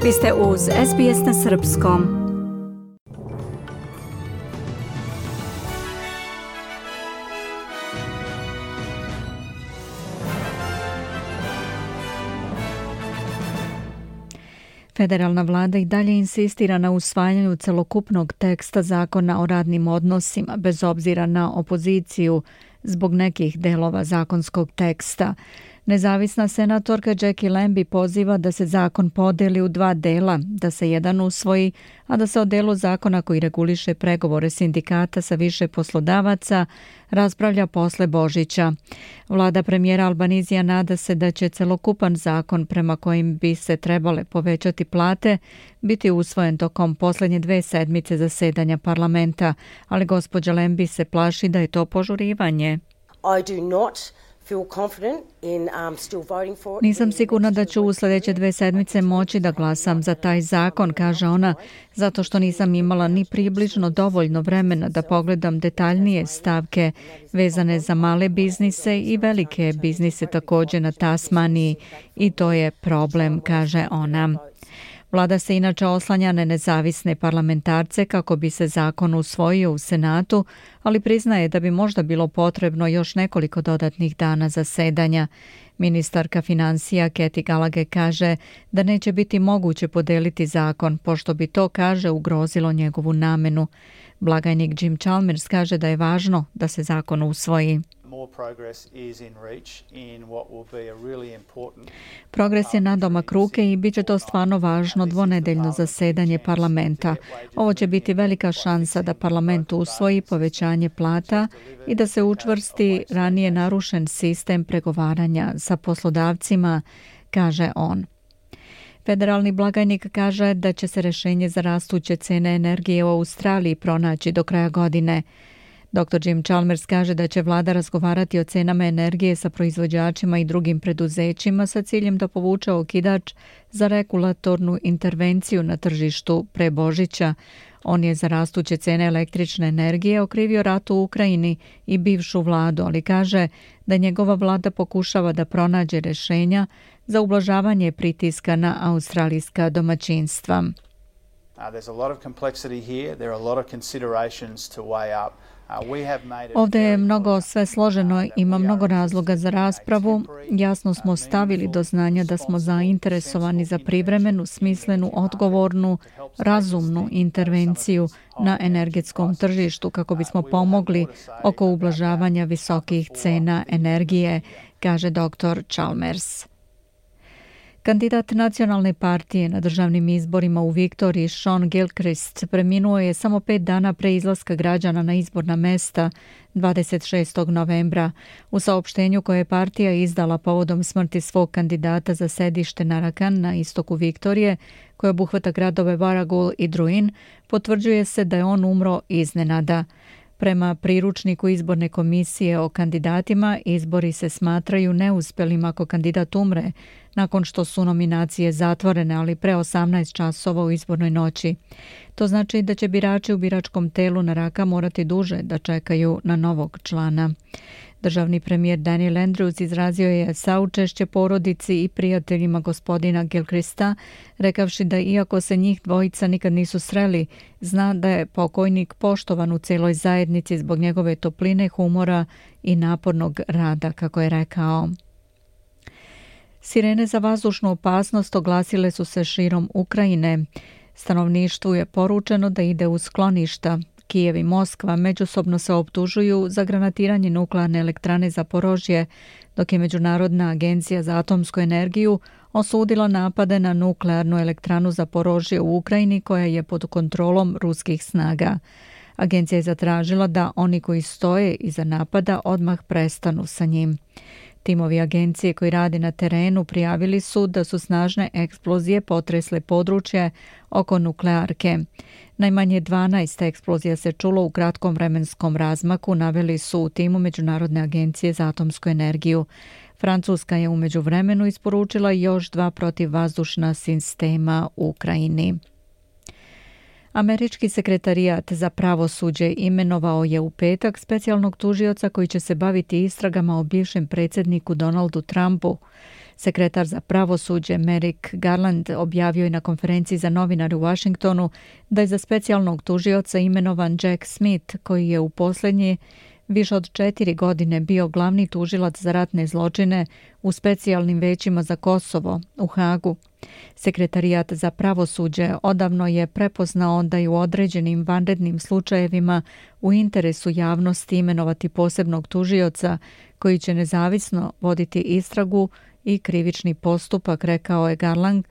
Vi ste uz SBS na srpskom. Federalna vlada i dalje insistira na usvajanju celokupnog teksta zakona o radnim odnosima, bez obzira na opoziciju zbog nekih delova zakonskog teksta. Nezavisna senatorka Jackie Lambie poziva da se zakon podeli u dva dela, da se jedan usvoji, a da se o delu zakona koji reguliše pregovore sindikata sa više poslodavaca raspravlja posle Božića. Vlada premijera Albanizija nada se da će celokupan zakon prema kojim bi se trebale povećati plate biti usvojen tokom posljednje 2 sedmice zasedanja parlamenta, ali gospođa Lambie se plaši da je to požurivanje. Nisam sigurna da ću u sljedeće 2 sedmice moći da glasam za taj zakon, kaže ona, zato što nisam imala ni približno dovoljno vremena da pogledam detaljnije stavke vezane za male biznise i velike biznise također na Tasmaniji i to je problem, kaže ona. Vlada se inače oslanja na nezavisne parlamentarce kako bi se zakon usvojio u Senatu, ali priznaje da bi možda bilo potrebno još nekoliko dodatnih dana zasedanja. Ministarka financija Kathy Gallagher kaže da neće biti moguće podeliti zakon, pošto bi to, kaže, ugrozilo njegovu namenu. Blagajnik Jim Chalmers kaže da je važno da se zakon usvoji. Progres je nadomak ruke i bit će to stvarno važno dvonedeljno zasedanje parlamenta. Ovo će biti velika šansa da parlament usvoji povećanje plata i da se učvrsti ranije narušen sistem pregovaranja sa poslodavcima, kaže on. Federalni blagajnik kaže da će se rješenje za rastuće cene energije u Australiji pronaći do kraja godine. Dr. Jim Chalmers kaže da će vlada razgovarati o cenama energije sa proizvođačima i drugim preduzećima sa ciljem da povuče okidač za regulatornu intervenciju na tržištu pre Božića. On je za rastuće cene električne energije okrivio rat u Ukrajini i bivšu vladu, ali kaže da njegova vlada pokušava da pronađe rješenja za ublažavanje pritiska na australijska domaćinstva. Ovdje je mnogo sve složeno, ima mnogo razloga za raspravu. Jasno smo stavili do znanja da smo zainteresovani za privremenu, smislenu, odgovornu, razumnu intervenciju na energetskom tržištu kako bismo pomogli oko ublažavanja visokih cena energije, kaže dr. Chalmers. Kandidat nacionalne partije na državnim izborima u Viktoriji, Sean Gilchrist, preminuo je samo 5 dana pre izlaska građana na izborna mesta 26. novembra. U saopštenju koje je partija izdala povodom smrti svog kandidata za sedište Narakan na istoku Viktorije, koje obuhvata gradove Warragul i Druin, potvrđuje se da je on umro iznenada. Prema priručniku izborne komisije o kandidatima, izbori se smatraju neuspjelim ako kandidat umre, nakon što su nominacije zatvorene, ali pre 18 časova u izbornoj noći. To znači da će birači u biračkom telu Naraka morati duže da čekaju na novog člana. Državni premijer Daniel Andrews izrazio je saučešće porodici i prijateljima gospodina Gilchrista, rekavši da iako se njih dvojica nikad nisu sreli, zna da je pokojnik poštovan u celoj zajednici zbog njegove topline, humora i napornog rada, kako je rekao. Sirene za vazdušnu opasnost oglasile su se širom Ukrajine. Stanovništvu je poručeno da ide u skloništa. Kijev i Moskva međusobno se optužuju za granatiranje nuklearne elektrane Zaporožje, dok je Međunarodna agencija za atomsku energiju osudila napade na nuklearnu elektranu Zaporožje u Ukrajini koja je pod kontrolom ruskih snaga. Agencija je zatražila da oni koji stoje iza napada odmah prestanu sa njim. Timovi agencije koji rade na terenu prijavili su da su snažne eksplozije potresle područje oko nuklearke. Najmanje 12 eksplozija se čulo u kratkom vremenskom razmaku, naveli su u timu Međunarodne agencije za atomsku energiju. Francuska je u međuvremenu isporučila još 2 protivvazdušna sistema u Ukrajini. Američki sekretarijat za pravosuđe imenovao je u petak specijalnog tužioca koji će se baviti istragama o bivšem predsjedniku Donaldu Trumpu. Sekretar za pravosuđe Merrick Garland objavio je na konferenciji za novinare u Washingtonu da je za specijalnog tužioca imenovan Jack Smith, koji je u posljednje više od 4 godine bio glavni tužilac za ratne zločine u specijalnim većima za Kosovo u Hagu. Sekretarijat za pravosuđe odavno je prepoznao da je u određenim vanrednim slučajevima u interesu javnosti imenovati posebnog tužioca koji će nezavisno voditi istragu i krivični postupak, rekao je Garland,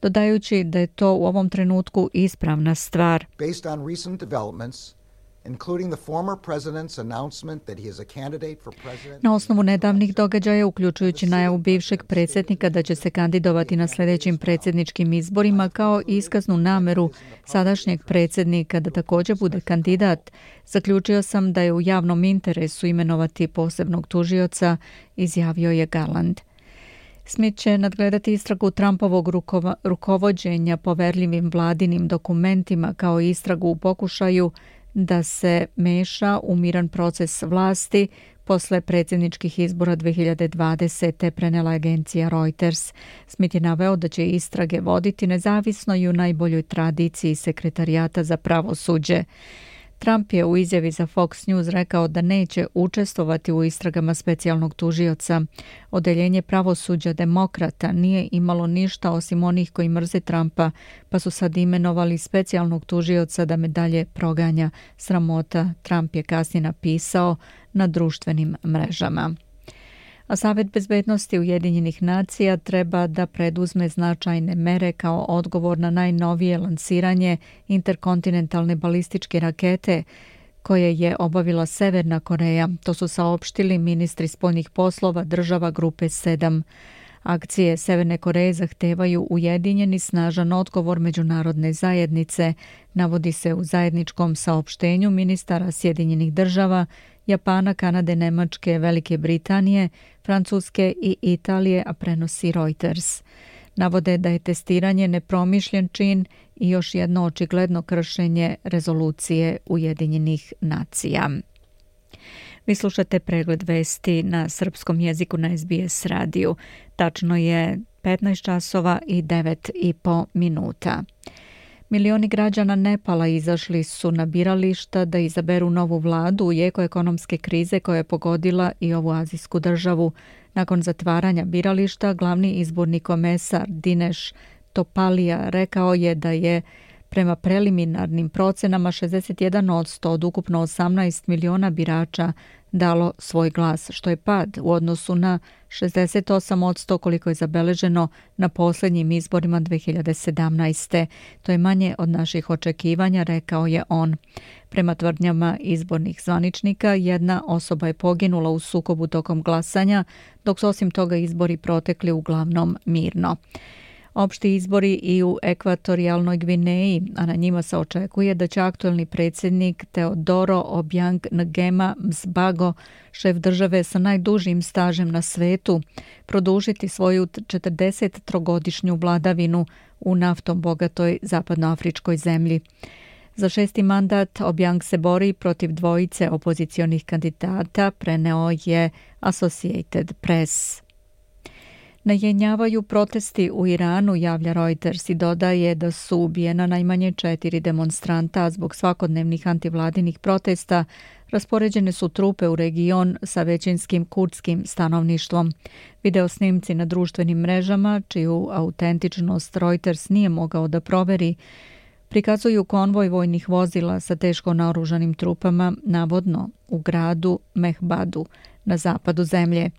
dodajući da je to u ovom trenutku ispravna stvar. Based on recent developments, including the former president's announcement that he is a candidate for president. Na osnovu nedavnih događaja, uključujući najavu bivšeg predsjednika da će se kandidovati na sljedećim predsjedničkim izborima, kao i iskaznu nameru sadašnjeg predsjednika da također bude kandidat, zaključio sam da je u javnom interesu imenovati posebnog tužioca, izjavio je Garland. Smith će nadgledati istragu Trumpovog rukovođenja poverljivim vladinim dokumentima kao istragu u pokušaju da se meša u miran proces vlasti posle predsjedničkih izbora 2020. prenela agencija Reuters. Smith je naveo da će istrage voditi nezavisno i u najboljoj tradiciji Sekretarijata za pravosuđe. Trump je u izjavi za Fox News rekao da neće učestvovati u istragama specijalnog tužioca. Odeljenje pravosuđa demokrata nije imalo ništa osim onih koji mrze Trumpa, pa su sad imenovali specijalnog tužioca da me dalje proganja. Sramota, Trump je kasnije napisao na društvenim mrežama. A Savet bezbednosti Ujedinjenih nacija treba da preduzme značajne mere kao odgovor na najnovije lansiranje interkontinentalne balističke rakete koje je obavila Severna Koreja. To su saopštili ministri spoljnih poslova država grupe 7. Akcije Severne Koreje zahtevaju ujedinjeni snažan odgovor međunarodne zajednice, navodi se u zajedničkom saopštenju ministara Sjedinjenih država, Japana, Kanade, Nemačke, Velike Britanije, Francuske i Italije, a prenosi Reuters. Navode da je testiranje nepromišljen čin i još jedno očigledno kršenje rezolucije Ujedinjenih nacija. Vi slušate pregled vesti na srpskom jeziku na SBS radiju. Tačno je 15 časova i 9,5 minuta. Milioni građana Nepala izašli su na birališta da izaberu novu vladu u jeku ekonomske krize koja je pogodila i ovu azijsku državu. Nakon zatvaranja birališta, glavni izborni komesar Dinesh Topalija rekao je da je prema preliminarnim procenama 61% od ukupno 18 miliona birača dalo svoj glas, što je pad u odnosu na 68% koliko je zabeleženo na posljednjim izborima 2017. To je manje od naših očekivanja, rekao je on. Prema tvrdnjama izbornih zvaničnika, jedna osoba je poginula u sukobu tokom glasanja, dok su osim toga izbori protekli uglavnom mirno. Opšti izbori i u ekvatorijalnoj Gvineji, a na njima se očekuje da će aktuelni predsjednik Teodoro Obiang Nguema Msbago, šef države sa najdužim stažem na svetu, produžiti svoju 43-godišnju vladavinu u naftom bogatoj zapadnoafričkoj zemlji. Za 6. mandat Obiang se bori protiv dvojice opozicionih kandidata, preneo je Associated Press. Najenjavaju protesti u Iranu, javlja Reuters, i dodaje da su ubijena najmanje 4 demonstranta. Zbog svakodnevnih antivladinih protesta raspoređene su trupe u region sa većinskim kurdskim stanovništvom. Video snimci na društvenim mrežama, čiju autentičnost Reuters nije mogao da proveri, prikazuju konvoj vojnih vozila sa teško naoružanim trupama, navodno u gradu Mehbadu na zapadu zemlje.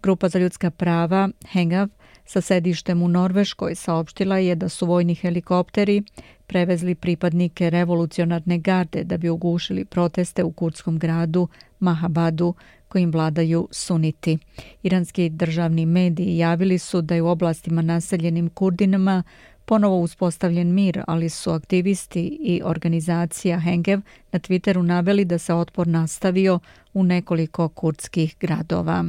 Grupa za ljudska prava Hengav sa sedištem u Norveškoj saopštila je da su vojni helikopteri prevezli pripadnike revolucionarne garde da bi ugušili proteste u kurdskom gradu Mahabadu kojim vladaju suniti. Iranski državni mediji javili su da je u oblastima naseljenim Kurdinama ponovo uspostavljen mir, ali su aktivisti i organizacija Hengev na Twitteru naveli da se otpor nastavio u nekoliko kurdskih gradova.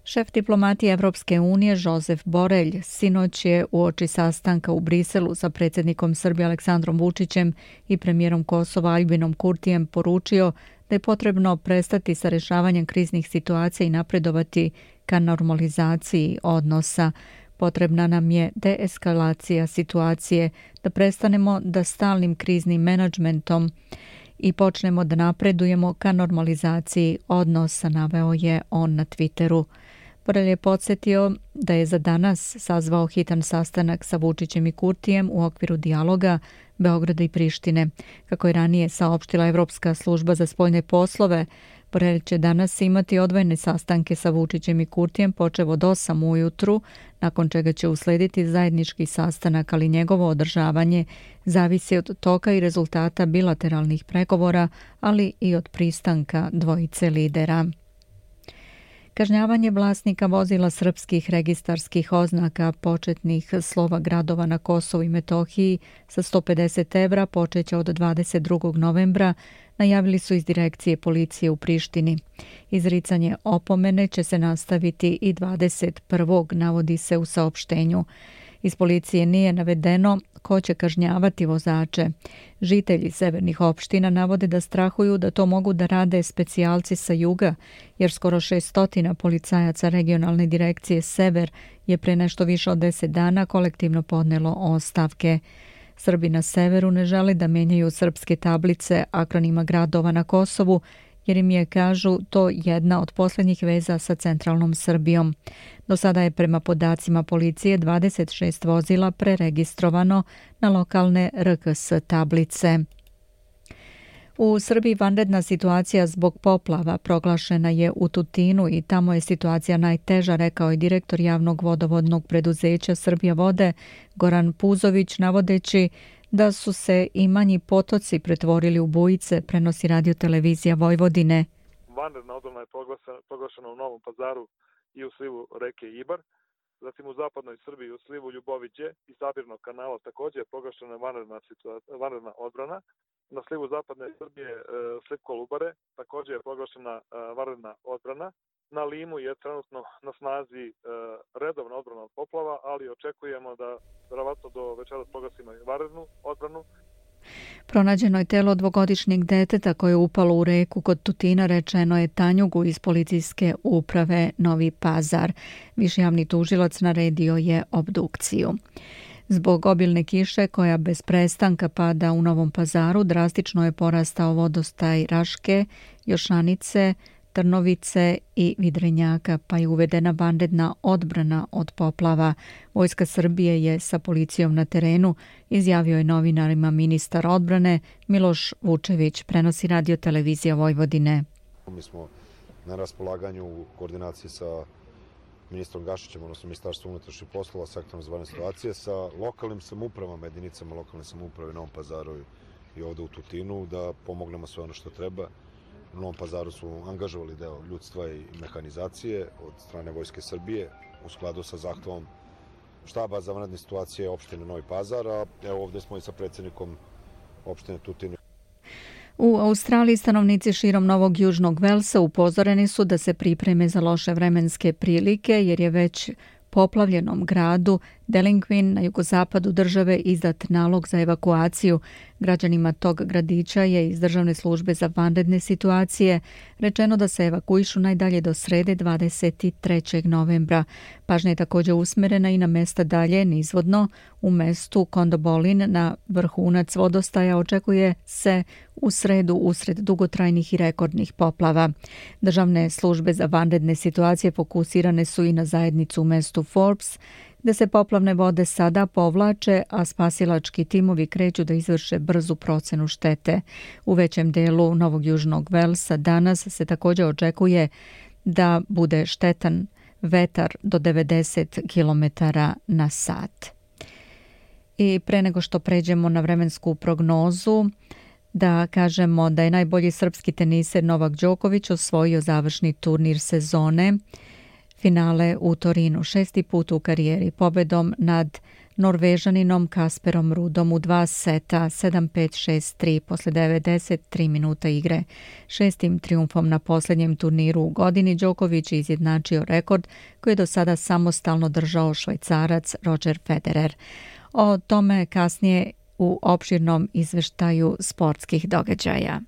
Šef diplomatije Evropske unije Josep Borrell sinoć je uoči sastanka u Briselu sa predsjednikom Srbije Aleksandrom Vučićem i premijerom Kosova Aljbinom Kurtijem poručio da je potrebno prestati sa rješavanjem kriznih situacija i napredovati ka normalizaciji odnosa. Potrebna nam je deeskalacija situacije, da prestanemo da stalnim kriznim menadžmentom i počnemo da napredujemo ka normalizaciji odnosa, naveo je on na Twitteru. Borelj je podsjetio da je za danas sazvao hitan sastanak sa Vučićem i Kurtijem u okviru dijaloga Beograda i Prištine. Kako je ranije saopštila Evropska služba za spoljne poslove, Borelj će danas imati odvojene sastanke sa Vučićem i Kurtijem počev od 8 ujutru, nakon čega će uslediti zajednički sastanak, ali njegovo održavanje zavisi od toka i rezultata bilateralnih pregovora, ali i od pristanka dvojice lidera. Kažnjavanje vlasnika vozila srpskih registarskih oznaka početnih slova gradova na Kosovu i Metohiji sa 150 evra počeće od 22. novembra, najavili su iz direkcije policije u Prištini. Izricanje opomene će se nastaviti i 21. navodi se u saopštenju. Iz policije nije navedeno ko će kažnjavati vozače. Žitelji severnih opština navode da strahuju da to mogu da rade specijalci sa juga, jer skoro 600 policajaca regionalne direkcije Sever je pre nešto više od 10 dana kolektivno podnelo ostavke. Srbi na severu ne žele da menjaju srpske tablice akronima gradova na Kosovu, jer im je, kažu, to jedna od posljednjih veza sa centralnom Srbijom. Do sada je prema podacima policije 26 vozila preregistrovano na lokalne RKS tablice. U Srbiji vanredna situacija zbog poplava proglašena je u Tutinu i tamo je situacija najteža, rekao je direktor javnog vodovodnog preduzeća Srbija vode Goran Puzović, navodeći da su se i manji potoci pretvorili u bujice, prenosi Radio televizija Vojvodine. Vanredna odbrana je proglašena u Novom Pazaru i u slivu reke Ibar. Zatim u zapadnoj Srbiji u slivu Ljuboviđe i Sabirnog kanala također je proglašena vanredna odbrana. Na slivu zapadne Srbije sliv Kolubare također je proglašena vanredna odbrana. Na Limu je trenutno na snazi redovna odbrana od poplava, ali očekujemo da verovatno do večeras proglasimo i vanrednu odbranu. Pronađeno je telo dvogodišnjeg deteta koje je upalo u reku kod Tutina, rečeno je Tanjugu iz policijske uprave Novi Pazar. Viši javni tužilac naredio je obdukciju. Zbog obilne kiše koja bez prestanka pada u Novom Pazaru, drastično je porastao vodostaj Raške, Jošanice, Trnovice i Vidrenjaka, pa je uvedena vanredna odbrana od poplava. Vojska Srbije je sa policijom na terenu, izjavio je novinarima ministar odbrane Miloš Vučević, prenosi Radio televizija Vojvodine. Mi smo na raspolaganju u koordinaciji sa ministrom Gašićem, odnosno Ministarstvom unutrašnjih poslova, sektorom za vanredne situacije, sa lokalnim samoupravama, jedinicama lokalne samouprave u Novom Pazaru i ovde u Tutinu, da pomognemo sve ono što treba. U Novom Pazaru su angažovali deo ljudstva i mehanizacije od strane Vojske Srbije u skladu sa zahtevom štaba za vanredne situacije opštine Novi Pazar, a evo ovde smo i sa predsjednikom opštine Tutin. U Australiji stanovnici širom Novog Južnog Velsa upozoreni su da se pripreme za loše vremenske prilike, jer je već poplavljenom gradu Delinquin na jugozapadu države izdat nalog za evakuaciju. Građanima tog gradića je iz Državne službe za vanredne situacije rečeno da se evakuišu najdalje do srede 23. novembra. Pažnja je također usmerena i na mesta dalje nizvodno. U mestu Kondobolin na vrhunac vodostaja očekuje se u sredu usred dugotrajnih i rekordnih poplava. Državne službe za vanredne situacije fokusirane su i na zajednicu u mestu Forbes, gde se poplavne vode sada povlače, a spasilački timovi kreću da izvrše brzu procenu štete. U većem delu Novog Južnog Velsa danas se također očekuje da bude štetan vetar do 90 km na sat. I pre nego što pređemo na vremensku prognozu, da kažemo da je najbolji srpski teniser Novak Đoković osvojio završni turnir sezone, finale u Torinu, 6. put u karijeri, pobedom nad Norvežaninom Kasperom Rudom u 2 seta, 7-5, 6-3, posle 93 minuta igre. 6. triumfom na posljednjem turniru u godini Đoković je izjednačio rekord koji je do sada samostalno držao Švajcarac Roger Federer. O tome kasnije u opširnom izveštaju sportskih događaja.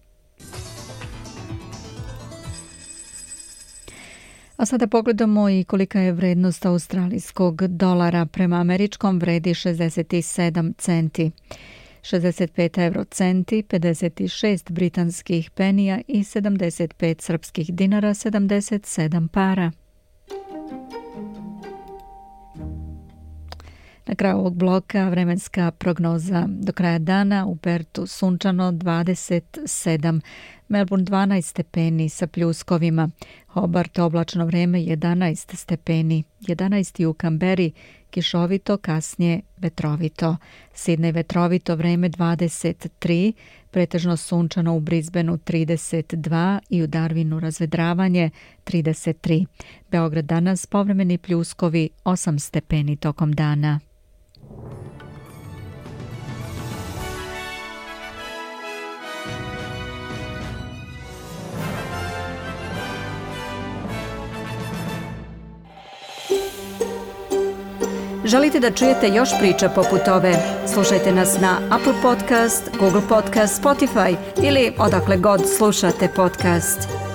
A sada pogledamo i kolika je vrednost australijskog dolara. Prema američkom vredi 67 centi. 65 eurocenti, 56 britanskih penija i 75 srpskih dinara, 77 para. Na kraju ovog bloka vremenska prognoza. Do kraja dana u Pertu sunčano 27, Melbourne 12 stepeni sa pljuskovima, Hobart oblačno vreme 11 stepeni, 11 u Kamberi, kišovito, kasnije vetrovito. Sidney vetrovito vreme 23, pretežno sunčano u Brisbaneu 32 i u Darwinu razvedravanje 33. Beograd danas povremeni pljuskovi 8 stepeni tokom dana. Želite da čujete još priča poput ove? Slušajte nas na Apple Podcast, Google Podcast, Spotify ili odakle god slušate podcast.